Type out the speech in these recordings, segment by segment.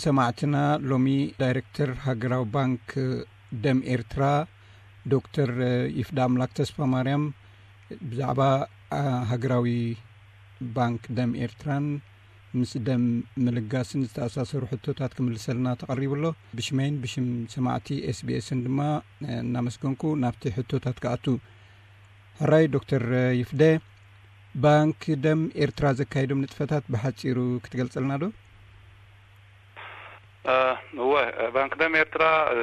ሰማዕትና፣ ሎሚ ዳይሬክተር ሃገራዊ ባንክ ደም ኤርትራ ዶክተር ይፍዳ ኣምላክ ተስፋ ማርያም ብዛዕባ፣ አ፣ ሃገራዊ ባንክ ደም ኤርትራን ምስ ደም ምልጋስን ዝተኣሳሰሩ ሕቶታት ክምልሰልና ተቐሪቡ ኣሎ። ብሽመይን ብሽም ሰማዕቲ ኤስቢኤስን ድማ፣ እ፣ እናመስገንኩ ናብቲ ሕቶታት ክኣቱ። ሕራይ ዶክተር ይፍደ፣ ባንክ ደም ኤርትራ ዘካየዶም ንጥፈታት ብሓጺሩ ክትገልጸልና ዶ? እ፣ እወ፣ ባንክ ደም ኤርትራ፣ እ፣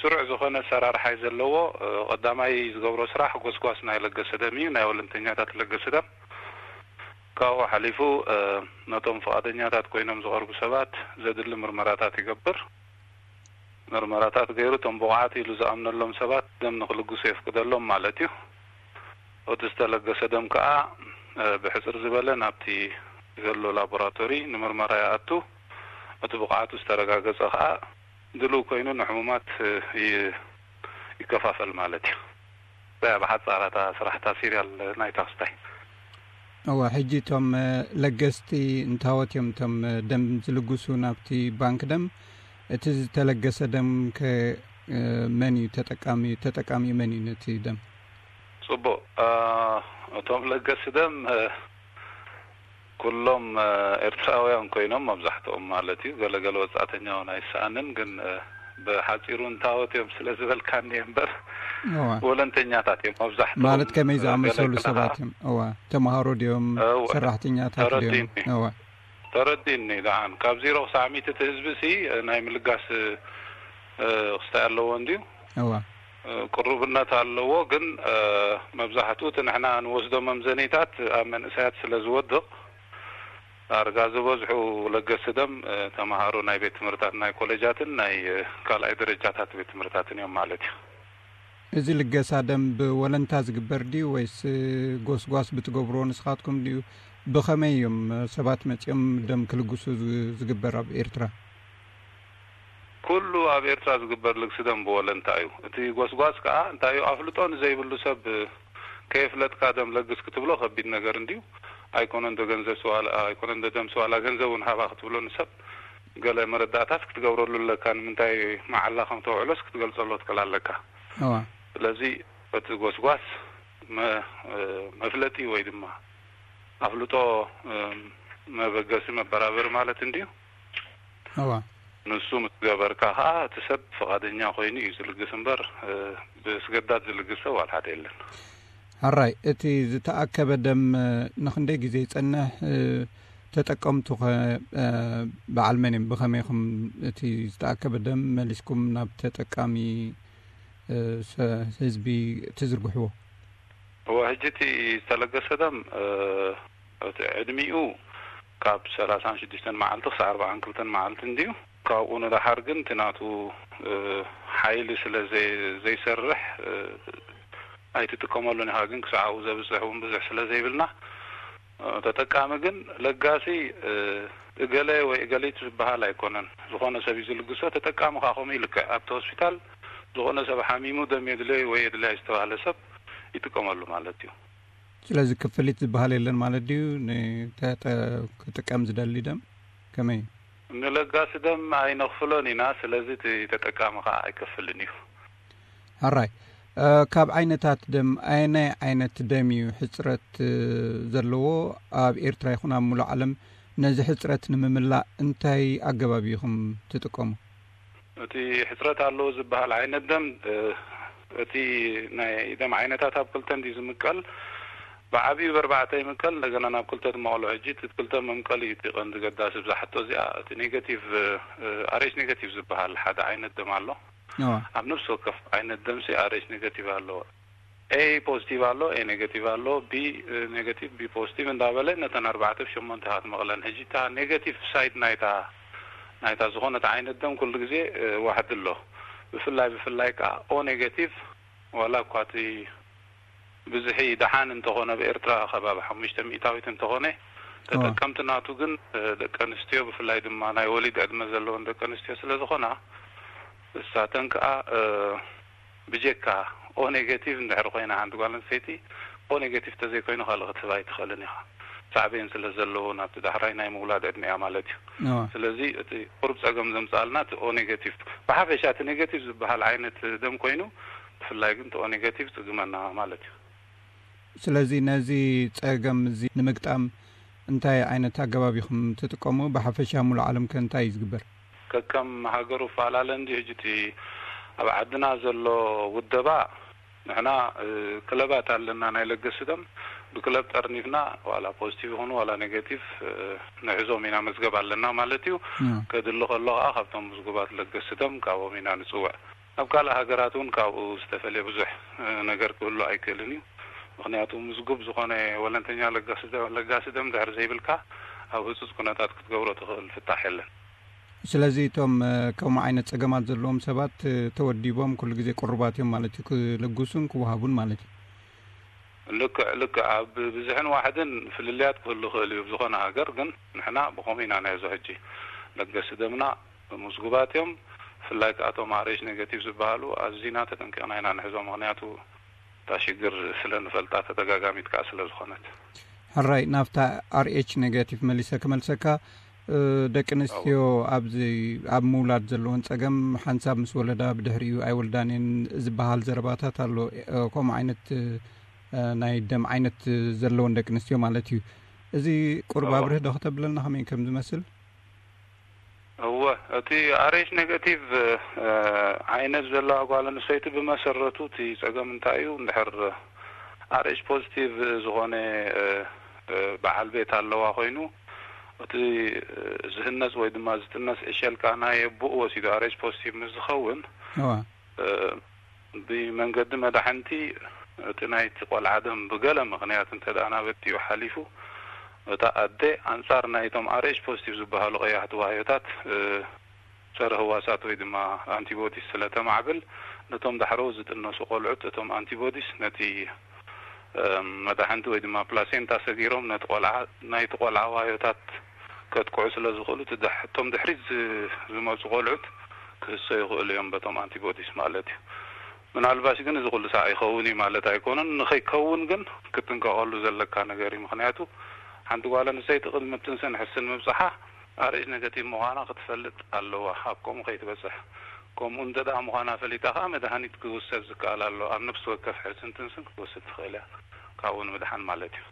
ስሩዕ ዝኾነ ኣሰራርሓ እዩ ዘለዎ። እ፣ ቀዳማይ ዝገብሮ ስራሕ ጎስጓስ ናይ ለገሰ ደም እዩ፣ ናይ ወለንተኛታት ለገሰ ደም። ካብኡ ሓሊፉ፣ እ፣ ነቶም ፍቓደኛታት ኮይኖም ዝቐርቡ ሰባት ዘድሊ ምርመራታት ይገብር። ምርመራታት ገይሩ እቶም ብቑዓት ኢሉ ዝኣምነሎም ሰባት ደም ንክልግሱ የፍቅደሎም ማለት እዩ። እቲ ዝተለገሰ ደም ከኣ፣ እ፣ ብሕጽር ዝበለ ናብቲ ዘሎ ላቦራቶሪ ንምርመራ ይኣቱ። እቲ ብቕዓቱ ዝተረጋገጸ ከኣ ድልው ኮይኑ ንሕሙማት፣ እ፣ ይ-፣ ይከፋፈል ማለት እዩ። እዛ እያ ብሓጻር እታ ስራሕታ ሲሪያል ናይታ ክስታይ። እወ፣ ሕጂ እቶም፣ እ፣ ለገስቲ እንታወት እዮም እቶም፣ እ፣ ደም ዝልግሱ ናብቲ ባንክ ደም? እቲ ዝተለገሰ ደም ከ፣ እ፣ መን እዩ ተጠቃሚ? ተጠቃሚኡ መን እዩ ነቲ ደም? ጽቡቕ። እ፣ እቶም ለገስቲ ደም፣ እ፣ ኩሎም፣ እ፣ ኤርትራውያን ኮይኖም መብዛሕትኦም ማለት እዩ። ገለ ገለ ወጻእተኛ እውን ኣይሰኣንን፣ ግን፣ እ፣ ብሓጺሩ እንታወት እዮም ስለ ዝበልካኒ እምበር እዋ። ወለንተኛታት እዮም መብዛሕትኦም። ማለት ከመይ እ፣ ዝኣመሰሉ ገለ ገለ ሰባት ከዓ እዮም? እዋ፣ ተምሃሮ ድዮም? እዋ። ሰራሕተኛታት ድዮም? ተረዲእኒ። እዋ። ተረዲእኒ። ደሓን ካብ ዜሮ ክሳዕ ሚእቲ እቲ ህዝቢ ሲ፣ እ፣ ናይ ምልጋስ፣ እ፣ ክስታይ ኣለዎ እንድዩ። እዋ። እ፣ ቅሩብነት ኣለዎ፣ ግን፣ እ፣ መብዛሕትኡ እቲ ንሕና ንወስዶ መምዘኒታት ኣብ መንእሰያት ስለ ዝወድቕ፣ ዳርጋ ዝበዝሑ ለገስቲ ደም፣ እ፣ ተምሃሮ ናይ ቤት ትምህርታት፣ ናይ ኮሌጃትን ናይ፣ እ፣ ካልኣይ ደረጃታት ቤት ትምህርታትን እዮም ማለት እዩ። እዚ ልገሳ ደም ብወለንታ ዝግበር ድዩ ወይስ፣ እ፣ ጎስጓስ ብትገብርዎ ንስኻትኩም ድዩ? ብኸመይ እዮም፣ እ፣ ሰባት መጺኦም ደም ክልግሱ ዝ-፣ ዝግበር ኣብ ኤርትራ? ኩሉ ኣብ ኤርትራ ዝግበር ልግሲ ደም ብወለንታ እዩ። እቲ ጎስጓስ ከኣ እንታይ እዩ? ኣፍልጦ ንዘይብሉ ሰብ ከየፍለጥካ ደም ለግስ ክትብሎ ከቢድ ነገር እንድዩ። ኣይኮነን ዶ ገንዘብ ስዋላ፣ ኣይኮነን ዶ ደም ስዋላ ገንዘብ እውን ሃባ ክትብሎ ንሰብ ገለ መረዳእታስ ክትገብረሉ ኣለካ። ንምንታይ መዓላ ከም ተውዕሎስ ክትገልጸሉ ትክእል ኣለካ። እዋ። ስለዚ እቲ ጎስጓስ መ-፣ መፍለጢ ወይ ድማ ኣፍልጦ፣ እ፣ መበገሲ መበራበሪ ማለት እንድዩ። እዋ። ንሱ ምስ ገበርካ ኸኣ እቲ ሰብ ፍቓደኛ ኮይኑ እዩ ዝልግስ እምበር፣ እ፣ ብስገዳድ ዝልግስ ሰብ ዋላ ሓደ የለን። ሕራይ፣ እቲ ዝተኣከበ ደም፣ እ፣ ንኽንደይ ግዜ ይጸንሕ? እ፣ ተጠቀምቱ ኸ፣ እ፣ በዓል መን እዮም? ብኸመይ ኢኹም እቲ ዝተኣከበ ደም መሊስኩም ናብ ተጠቃሚ፣ እ፣ ሰ-፣ ህዝቢ ትዝርግሕዎ? እወ፣ ሕጂ እቲ ዝተለገሰ ደም፣ እ፣ እቲ ዕድሚኡ ካብ ሰላሳን ሽዱሽተን መዓልቲ ክሳዕ ኣርባዓን ክልተን መዓልቲ እንድዩ። ካብኡ ንደሓር ግን እቲ ናቱ፣ እ፣ ሓይሊ ስለ ዘይ-፣ ዘይሰርሕ፣ እ፣ ኣይትጥቀመሉን ኢኻ። ግን ክሳዕ ኣብኡ ዘብጽሕ እውን ብዙሕ ስለ ዘይብልና፣ እ፣ ተጠቃሚ ግን ለጋሲ፣ እ፣ እገለ ወይ እገሊት ዝበሃል ኣይኮነን። ዝኾነ ሰብ እዩ ዝልግሶ። ተጠቃሚ ከኣ ከምኡ ይልክዕ። ኣብቲ ሆስፒታል ዝኾነ ሰብ ሓሚሙ ደም የድልዮ ወይ የድልያ ዝተባህለ ሰብ ይጥቀመሉ ማለት እዩ። ስለዚ ክፍሊት ዝበሃል የለን ማለት ድዩ? ንተጠ-፣ ክጥቀም ዝደሊ ደም ከመይ እዩ? ንለጋሲ ደም ኣይነኽፍሎን ኢና። ስለዚ እቲ ተጠቃሚ ከኣ ኣይከፍልን እዩ። ሕራይ፣ እ፣ ካብ ዓይነታት ደም ኣየናይ ዓይነት ደም እዩ ሕጽረት፣ እ፣ ዘለዎ? ኣብ ኤርትራ ይኹን ኣብ ሙሉእ ዓለም ነዚ ሕጽረት ንምምላእ እንታይ ኣገባብ ኢኹም ትጥቀሙ? እቲ ሕጽረት ኣለዎ ዝበሃል ዓይነት ደም፣ እ፣ እቲ ናይ ደም ዓይነታት ኣብ ክልተ እንድዩ ዝምቀል። ብዓቢኡ ብኣርባዕተ ይምቀል፣ እንደገና ናብ ክልተ ትመቐሎ። ሕጂ እቲ ክልተ መምቀሊ እዩ እቲ ቀንዲ ገዳሲ ብዛ ሕቶ እዚኣ። እቲ ኔጋቲቭ፣ እ፣ ኣር ኤች ኔጋቲቭ ዝበሃል ሓደ ዓይነት ደም ኣሎ። እዋ። ኣብ ነፍሲ ወከፍ ዓይነት ደምሲ ኣር ኤች ኔጋቲቭ ኣለዎ። ኤ ፖዚቲቭ ኣሎ፣ ኤ ኔጋቲቭ ኣሎ፣ ቢ፣ እ፣ ኔጋቲቭ፣ ቢ ፖዚቲቭ እንዳበለ ነተን ኣርባዕተ ብ ሸሞንተ ኢኻ ትመቕለን። ሕጂ እታ ኔጋቲቭ ሳይድ ናይታ፣ ናይታ ዝኾነት ዓይነት ደም ኩሉ ግዜ፣ እ፣ ዋሕዲ ኣሎ። ብፍላይ፣ ብፍላይ ከኣ ኦ ኔጋቲቭ፣ ዋላ እኳ እቲ ብዝሒ ደሓን እንተኾነ፣ ኣብ ኤርትራ ከባቢ ሓሙሽተ ሚእታዊት እንተኾነ፣ እዋ። ተጠቀምቲ ናቱ ግን፣ እ፣ ደቂ ኣንስትዮ፣ ብፍላይ ድማ ናይ ወሊድ ዕድመ ዘለወን ደቂ ኣንስትዮ ስለ ዝኾና፣ እሳተን ከኣ፣ እ፣ ብጀካ ኦ ኔጋቲቭ እንድሕር ኮይና ሓንቲ ጓል ኣንስተይቲ፣ ኦ ኔጋቲቭ ተዘይኮይኑ ካልእ ክትህብ ኣይትኽእልን ኢኻ። ሳዕቤን ስለ ዘለዎ ናብቲ ዳሕራይ ናይ ምውላድ ዕድሚኣ ማለት እዩ። ስለዚ እቲ ቁሩብ ጸገም ዘምጽኣልና እቲ ኦ ኔጋቲቭ፣ ብሓፈሻ እቲ ኔጋቲቭ ዝበሃል ዓይነት ደም ኮይኑ፣ ብፍላይ ግን እቲ ኦ ኔጋቲቭ ጽግመና ማለት እዩ። ስለዚ ነዚ ጸገም እዚ ንምግጣም እንታይ ዓይነት ኣገባብ ኢኹም ትጥቀሙ? ብሓፈሻ ሙሉእ ዓለም ከ እንታይ እዩ ዝግበር? ከከም ሃገሩ ፈላለ እንዲ ሕጂ እቲ ኣብ ዓድና ዘሎ ውደባ፣ ንሕና ክለባት ኣለና ናይ ለገሲ ደም። ብክለብ ጠርኒፍና ዋላ ፖዚቲቭ ይኹኑ ዋላ ኔጋቲቭ ንሕዞም ኢና፣ መዝገብ ኣለና ማለት እዩ። ከድሊ ከሎ ከዓ ካብቶም ምዝጉባት ለገሲ ደም ካብኦም ኢና ንፅውዕ። ኣብ ካልእ ሃገራት እውን ካብኡ ዝተፈለየ ብዙሕ ነገር ክህሉ ኣይክእልን እዩ። ምክንያቱ ምዝጉብ ዝኾነ ወለንተኛ ለጋሲ ደም ድሕር ዘይብልካ ኣብ ህፁፅ ኩነታት ክትገብሮ ትኽእል ፍታሕ የለን። ስለዚ እቶም ከምኡ ዓይነት ጸገማት ዘለዎም ሰባት ተወዲቦም ኩሉ ግዜ ቅሩባት እዮም ማለት እዩ፣ ክልግሱን ክወሃቡን ማለት እዩ። ልክዕ ልክዕ፣ ኣብ ብዝሕን ዋሕድን ፍልልያት ክህሉ ክእል እዩ። ብዝኾነ ሃገር ግን ንሕና ብኸምኡ ኢና ናይዞ ሕጂ ለገሲ ደምና ምዝጉባት እዮም። ብፍላይ ከኣቶም ኣርኤች ኔጋቲቭ ዝበሃሉ ኣዚና ተጠንቂቕና ኢና ንሕዞ። ምክንያቱ እታ ሽግር ስለ ንፈልጣ ተደጋጋሚት ከዓ ስለ ዝኾነት። ሕራይ፣ ናብታ ኣርኤች ኔጋቲቭ መሊሰ ክመልሰካ። ደቂ ኣንስትዮ ኣብዚ ኣብ ምውላድ ዘለዎን ጸገም፣ ሓንሳብ ምስ ወለዳ ብድሕሪኡ ኣይወልዳን እየን ዝበሃል ዘረባታት ኣሎ። ከምኡ ዓይነት ናይ ደም ዓይነት ዘለዎን ደቂ ኣንስትዮ ማለት እዩ። እዚ ቁርብ ኣብርህ ዶ ከተብለና ከመይ ከም ዝመስል? እወ፣ እቲ ኣርኤች ኔጋቲቭ ዓይነት ዘለዋ ጓል ኣንስተይቲ ብመሰረቱ እቲ ጸገም እንታይ እዩ? እንድሕር ኣርኤች ፖዚቲቭ ዝኾነ በዓል ቤት ኣለዋ ኮይኑ፣ እቲ ዝህነጽ ወይ ድማ ዝጥነስ ዕሸልካ ናይ ኣቦኡ ወሲዱ ኣርኤች ፖዚቲቭ ምስ ዝኸውን፣ ብመንገዲ መዳሕንቲ እቲ ናይቲ ቆልዓ ደም ብገለ ምኽንያት እንተ ደኣ ናበቲኡ ሓሊፉ፣ እታ ኣደ ኣንጻር ናይቶም ኣርኤች ፖዚቲቭ ዝበሃሉ ቀያሕቲ ዋህዮታት ጸረ ህዋሳት ወይ ድማ ኣንቲቦዲስ ስለ ተማዕብል፣ ነቶም ዳሕረው ዝጥነሱ ቆልዑት እቶም ኣንቲቦዲስ ነቲ መዳሕንቲ ወይ ድማ ፕላሴንታ ሰጊሮም ነቲ ቆልዓ፣ ናይቲ ቆልዓ ዋህዮታት ከጥቅዑ ስለ ዝኽእሉ፣ እቶም ድሕሪት ዝመፁ ቆልዑት ክህሰዩ ይኽእሉ እዮም በቶም ኣንቲቦዲስ ማለት እዩ። ምናልባሽ ግን እዚ ኩሉ ሳዕ ይኸውን እዩ ማለት ኣይኮነን። ንኸይከውን ግን ክትጥንቀቐሉ ዘለካ ነገር እዩ። ምክንያቱ ሓንቲ ጓል ኣንስተይቲ ቅድሚ ትንስን ሕስን ምብፅሓ ኣርኤች ኔጋቲቭ ምዃና ክትፈልጥ ኣለዋ፣ ኣብ ከምኡ ከይትበፅሕ። ከምኡ እንተ ደኣ ምዃና ፈሊጣ ከኣ መድሃኒት ክውሰድ ዝከኣል ኣሎ። ኣብ ነፍሲ ወከፍ ሕስን ትንስን ክትወስድ ትኽእል እያ፣ ካብኡ ንምድሓን ማለት እዩ።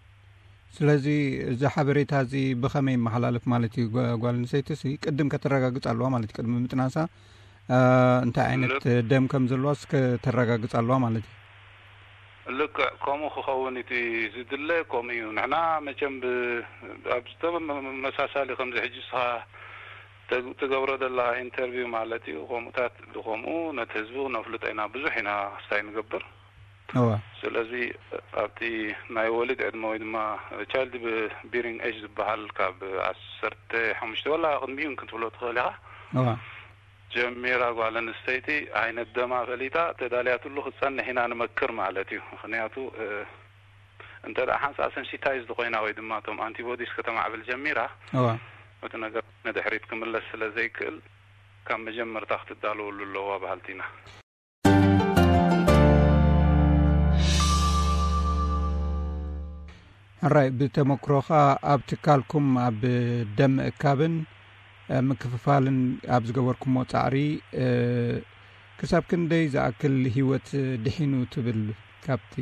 ስለዚ እዚ ሓበሬታ እዚ ብኸመይ ይመሓላለፍ ማለት እዩ? ጓል ኣንስተይቲ ሲ ቅድም ከተረጋግጽ ኣለዋ ማለት እዩ። ቅድሚ ምጥናሳ እንታይ ዓይነት ደም ከም ዘለዋስ ከተረጋግጽ ኣለዋ ማለት እዩ። ልክዕ ከምኡ ክኸውን እቲ ዝድለ ከምኡ እዩ። ንሕና መቸም ኣብ ዝተመሳሳሊ ከምዚ ሕጂ ስኻ ትገብሮ ደላ ኢንተርቪው ማለት እዩ። ከምኡታት ብከምኡ ነቲ ህዝቢ ክነፍልጦ ኢና፣ ብዙሕ ኢና ስታይ ንገብር። ስለዚ ኣብቲ ናይ ወሊድ ዕድመ ወይ ድማ ቻይልድ ቢሪንግ ኤጅ ዝበሃል ካብ ዓሰርተ ሓሙሽተ ወላ ቅድሚኡ ክትብሎ ትኽእል ኢኻ። ጀሚራ ጓል ኣንስተይቲ ዓይነት ደማ ፈሊጣ ተዳልያትሉ ክትጸንሕ ኢና ንመክር ማለት እዩ። ምክንያቱ እንተ ደኣ ሓንሳእ ሰንሲታይዝድ ኮይና ወይ ድማ እቶም ኣንቲቦዲስ ከተማዕብል ጀሚራ፣ እቲ ነገር ንድሕሪት ክምለስ ስለ ዘይክእል ካብ መጀመርታ ክትዳለወሉ ኣለዋ በሃልቲ ኢና። ሕራይ፣ ብተመክሮኻ ኣብ ትካልኩም ኣብ ደም ምእካብን ምክፍፋልን ኣብ ዝገበርኩሞ ጻዕሪ ክሳብ ክንደይ ዝኣክል ህይወት ድሒኑ ትብል? ካብቲ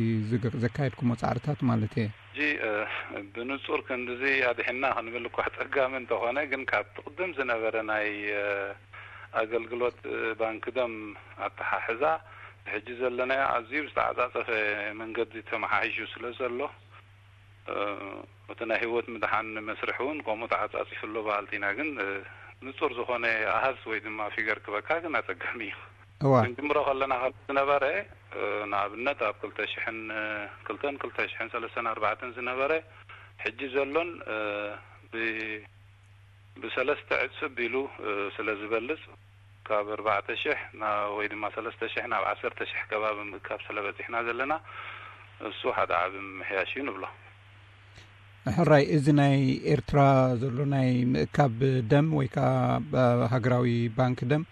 ዘካየድኩሞ ጻዕርታት ማለት እየ። ሕጂ ብንጹር ክንድዚ ኣድሒና ክንብል እኳ ኣጸጋሚ እንተኾነ፣ ግን ካብቲ ቅድም ዝነበረ ናይ ኣገልግሎት ባንኪ ደም ኣተሓሕዛ፣ ሕጂ ዘለናዮ ኣዝዩ ብዝተዓጻጸፈ መንገዲ ተመሓሒሹ ስለ ዘሎ፣ እቲ ናይ ህይወት ምድሓን መስርሕ እውን ከምኡ ተዓጻጺፉ ኣሎ በሃልቲ ኢና። ግን ንጹር ዝኾነ ኣሃዝ ወይ ድማ ፊገር ክበካ ግን ኣጸጋሚ እዩ። ክንጅምሮ ከለና ካብ ዝነበረ፣ ንኣብነት ኣብ ክልተ ሽሕን ክልተን ክልተ ሽሕን ሰለስተን ኣርባዕተን ዝነበረ፣ ሕጂ ዘሎን ብሰለስተ ዕጽፍ ቢሉ ስለ ዝበልጽ፣ ካብ ኣርባዕተ ሽሕ ወይ ድማ ሰለስተ ሽሕ ናብ ዓሰርተ ሽሕ ከባቢ ምእካብ ስለ በጺሕና ዘለና፣ እሱ ሓደ ዓቢ ምምሕያሽ እዩ ንብሎ። ሕራይ፣ እዚ ናይ ኤርትራ ዘሎ ናይ ምእካብ ደም ወይ ከዓ ሃገራዊ ባንክ ደም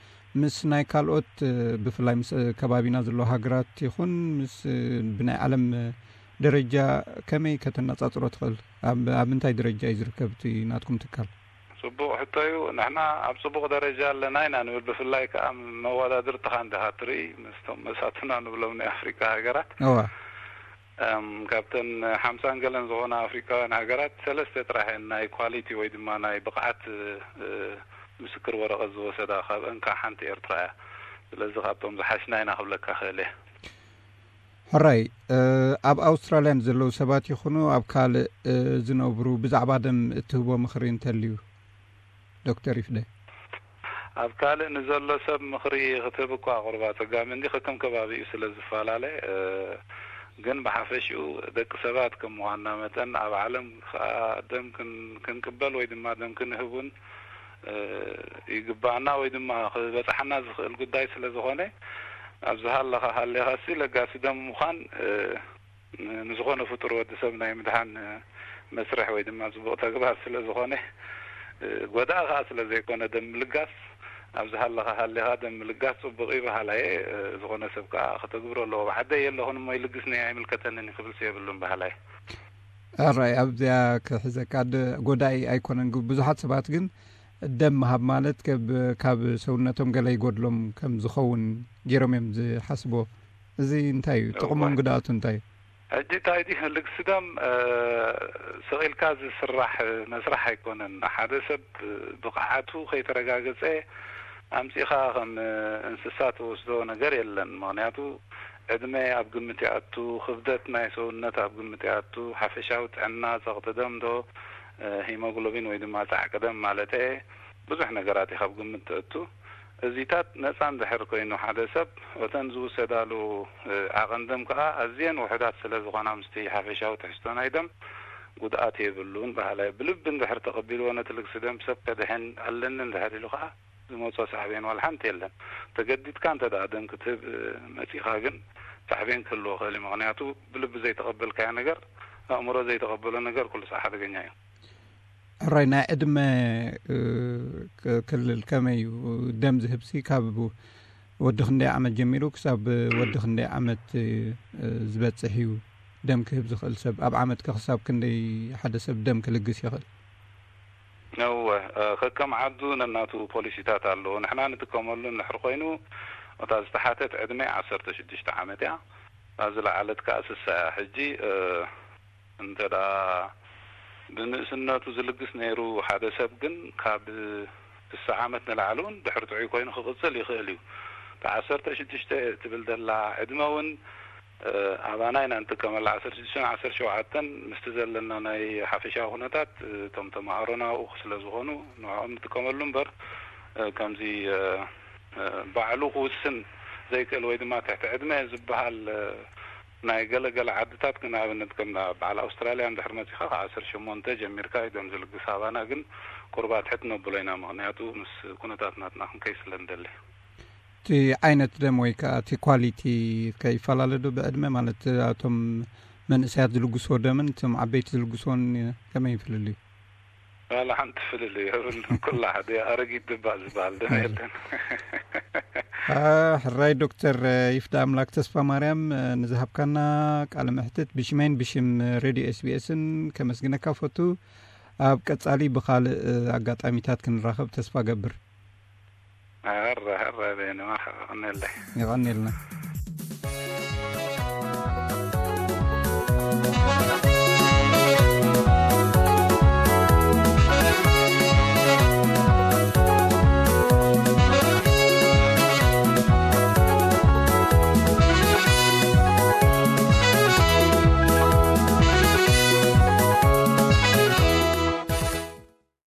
ምስ ናይ ካልኦት፣ ብፍላይ ምስ ከባቢና ዘሎ ሃገራት ይኹን ምስ ብናይ ዓለም ደረጃ ከመይ ከተነጻጽሮ ትኽእል? ኣብ ኣብ እንታይ ደረጃ እዩ ዝርከብ እቲ ናትኩም ትካል? ጽቡቕ ሕቶ እዩ። ንሕና ኣብ ጽቡቕ ደረጃ ኣለና ኢና ንብል። ብፍላይ ከኣ መወዳድርትኻ እንዲኻ ትርኢ ምስቶም መሳቱና ንብሎም ናይ ኣፍሪካ ሃገራት። እዋ። እም፣ ካብተን ሓምሳን ገለን ዝኾና ኣፍሪካውያን ሃገራት ሰለስተ ጥራሕ እየን ናይ ኳሊቲ ወይ ድማ ናይ ብቕዓት እ፣ ምስክር ወረቐት ዝወሰዳ። ካብአን ከዓ ሓንቲ ኤርትራ እያ። ስለዚ ካብቶም ዝሓሽና ኢና ክብለካ ክእል እየ። ሕራይ፣ እ፣ ኣብ ኣውስትራልያ ንዘለዉ ሰባት ይኹኑ ኣብ ካልእ፣ እ፣ ዝነብሩ ብዛዕባ ደም እትህቦ ምኽሪ እንተልዩ? ዶክተር ይፍደ። ኣብ ካልእ ንዘሎ ሰብ ምኽሪ ክትህብ እኳ ቁርባ ጸጋሚ እንዲ ከከም ከባቢኡ ስለ ዝፈላለ፣ እ፣ ግን ብሓፈሽኡ ደቂ ሰባት ከም ምዃንና መጠን ኣብ ዓለም ከዓ ደም ክን-፣ ክንቅበል ወይ ድማ ደም ክንህብ እውን፣ እ፣ ይግባኣና ወይ ድማ ክበጽሓና ዝኽእል ጉዳይ ስለ ዝኾነ፣ ኣብ ዝሃለኻ ሃሊኻሲ ለጋሲ ደም ምዃን፣ እ፣ ን-፣ ንዝኾነ ፍጡር ወዲ ሰብ ናይ ምድሓን፣ እ፣ መስርሕ ወይ ድማ ጽቡቕ ተግባር ስለ ዝኾነ፣ እ፣ ጎዳኢ ኸኣ ስለ ዘይኮነ ደም ምልጋስ፣ ኣብ ዝሃለኻ ሃሊኻ ደም ምልጋስ ጽቡቕ እዩ በሃላይ እየ። እ፣ ዝኾነ ሰብ ከኣ ከተግብሮ ኣለዎ። ብዓደይ የለኹን እሞ ይልግስኒ ኣይምልከተንን እዩ ክብልሲ የብሉን በሃላይ። ኣራይ ኣብዚኣ ክሕዘካ ድ-፣ ጎዳኢ ኣይኮነን። ግ-፣ ብዙሓት ሰባት ግን ደም ምሃብ ማለት ከብ-፣ ካብ ሰውነቶም ገለ ይጎድሎም ከም ዝኸውን ገይሮም እዮም ዝሓስቦ። እዚ እንታይ እዩ? እወ። ጥቕሙን ጉድኣቱ እንታይ እዩ? ሕጂ እንታይ ድዩ? ልግሲ ደም፣ እ፣ ስቕ ኢልካ ዝስራሕ መስራሕ ኣይኮነን። ሓደ ሰብ ብቕዓቱ ከይተረጋገጸ ኣምጺኻ ከም እንስሳ ትወስዶ ነገር የለን። ምኽንያቱ ዕድመ ኣብ ግምት ይኣቱ፣ ክብደት ናይ ሰውነት ኣብ ግምት ይኣቱ፣ ሓፈሻዊ ጥዕና፣ ጸቕጢ ደም ዶ፣ እ፣ ሂሞግሎቢን ወይ ድማ ጻዕቂ ደም ማለት እየ፣ ብዙሕ ነገራት እዩ ካብ ግምት ተእቱ። እዚታት ነጻ እንድሕር ኮይኑ ሓደ ሰብ፣ እተን ዝውሰዳሉ፣ እ፣ ዓቐን ደም ከኣ ኣዝየን ውሑዳት ስለ ዝኾና፣ ምስቲ ሓፈሻዊ ትሕዝቶ ናይ ደም ጉድኣት የብሉን በሃላይ። ብልቢ እንድሕር ተቐቢልዎ ነቲ ልግሲ ደም ሰብ ከድሕን ኣለኒ እንድሕር ኢሉ ከኣ፣ ዝመጾ ሳዕቤን ዋላ ሓንቲ የለን። ተገዲድካ እንተ ደኣ ደም ክትህብ፣ እ፣ መጺኻ ግን ሳዕቤን ክህልዎ ክእል እዩ። ምኽንያቱ ብልቢ ዘይተቐበልካዮ ነገር፣ ኣእምሮ ዘይተቐበሎ ነገር ኩሉ ሳዕ ሓደገኛ እዩ። ሕራይ ናይ ዕድመ፣ እ፣ ክ-፣ ክልል ከመይ እዩ? ደም ዝህብሲ ካብ ወዲ ክንደይ ዓመት ጀሚሩ ክሳብ ወዲ ክንደይ ዓመት፣ እ፣ ዝበጽሕ እዩ? ደም ክህብ ዝኽእል ሰብ ኣብ ዓመት ከ ክሳብ ክንደይ ሓደ ሰብ ደም ክልግስ ይኽእል? እወ፣ እ፣ ከከም ዓዱ ነናቱ ፖሊሲታት ኣለዎ። ንሕና ንጥቀመሉ እንድሕር ኮይኑ፣ እታ ዝተሓተት ዕድመ ዓሰርተ ሽዱሽተ ዓመት እያ። እታ ዝለዓለት ከኣ ስሳ እያ። ሕጂ፣ እ፣ እንተ ደኣ ብንእስነቱ ዝልግስ ነይሩ ሓደ ሰብ ግን ካብ ስሳ ዓመት ንላዕሊ እውን ድሕሪ ጥዑይ ኮይኑ ክቕጽል ይኽእል እዩ። እታ ዓሰርተ ሽዱሽተ ትብል ዘላ ዕድመ እውን፣ እ፣ ኣባና ኢና እንጥቀመላ። ዓሰርተ ሽዱሽተን ዓሰርተ ሸውዓተን ምስቲ ዘለና ናይ ሓፈሻዊ ኩነታት፣ እ፣ እቶም ተማሃሮና ኣብኡ ስለ ዝኾኑ ንዕኦም ንጥቀመሉ እምበር፣ እ፣ ከምዚ፣ እ፣ እ፣ ባዕሉ ክውስን ዘይክእል ወይ ድማ ትሕቲ ዕድመ ዝበሃል፣ እ፣ ናይ ገለ ገለ ዓድታት ግን ኣብነት ከም በዓል ኣውስትራልያ እንድሕር መጺኻ ካብ ዓሰርተ ሸሞንተ ጀሚርካ እዩ ደም ዝልግስ። ኣባና ግን ቁሩብ ኣትሕት ነብሎ ኢና፣ ምኽንያቱ ምስ ኩነታት ናትና ክንከይ ስለ ንደሊ። እቲ ዓይነት ደም ወይ ከኣ እቲ ኳሊቲ ከይፈላለ ዶ ብዕድመ? ማለት እቶም መንእሰያት ዝልግስዎ ደምን እቶም ዓበይቲ ዝልግስዎን ከመይ እዩ ፍልልዩ? ዋላ ሓንቲ ፍልልይ የብሉን። ኩላ ሓደ ኣረጊት ድባ ዝበሃል ደም የለን። አ፣ ሕራይ ዶክተር ይፍዳ ኣምላክ ተስፋ ማርያም፣ ንዝሃብካና ቃለ መሕትት ብሽመይን ብሽም ሬድዮ ኤስቢኤስን ከመስግነካ ፈቱ። ኣብ ቀጻሊ ብኻልእ ኣጋጣሚታት ክንራኸብ ተስፋ ገብር። ሕራይ፣ ሕራይ በይኑ፣ መርሓባ፣ ቀንየለይ። የቐንየልና።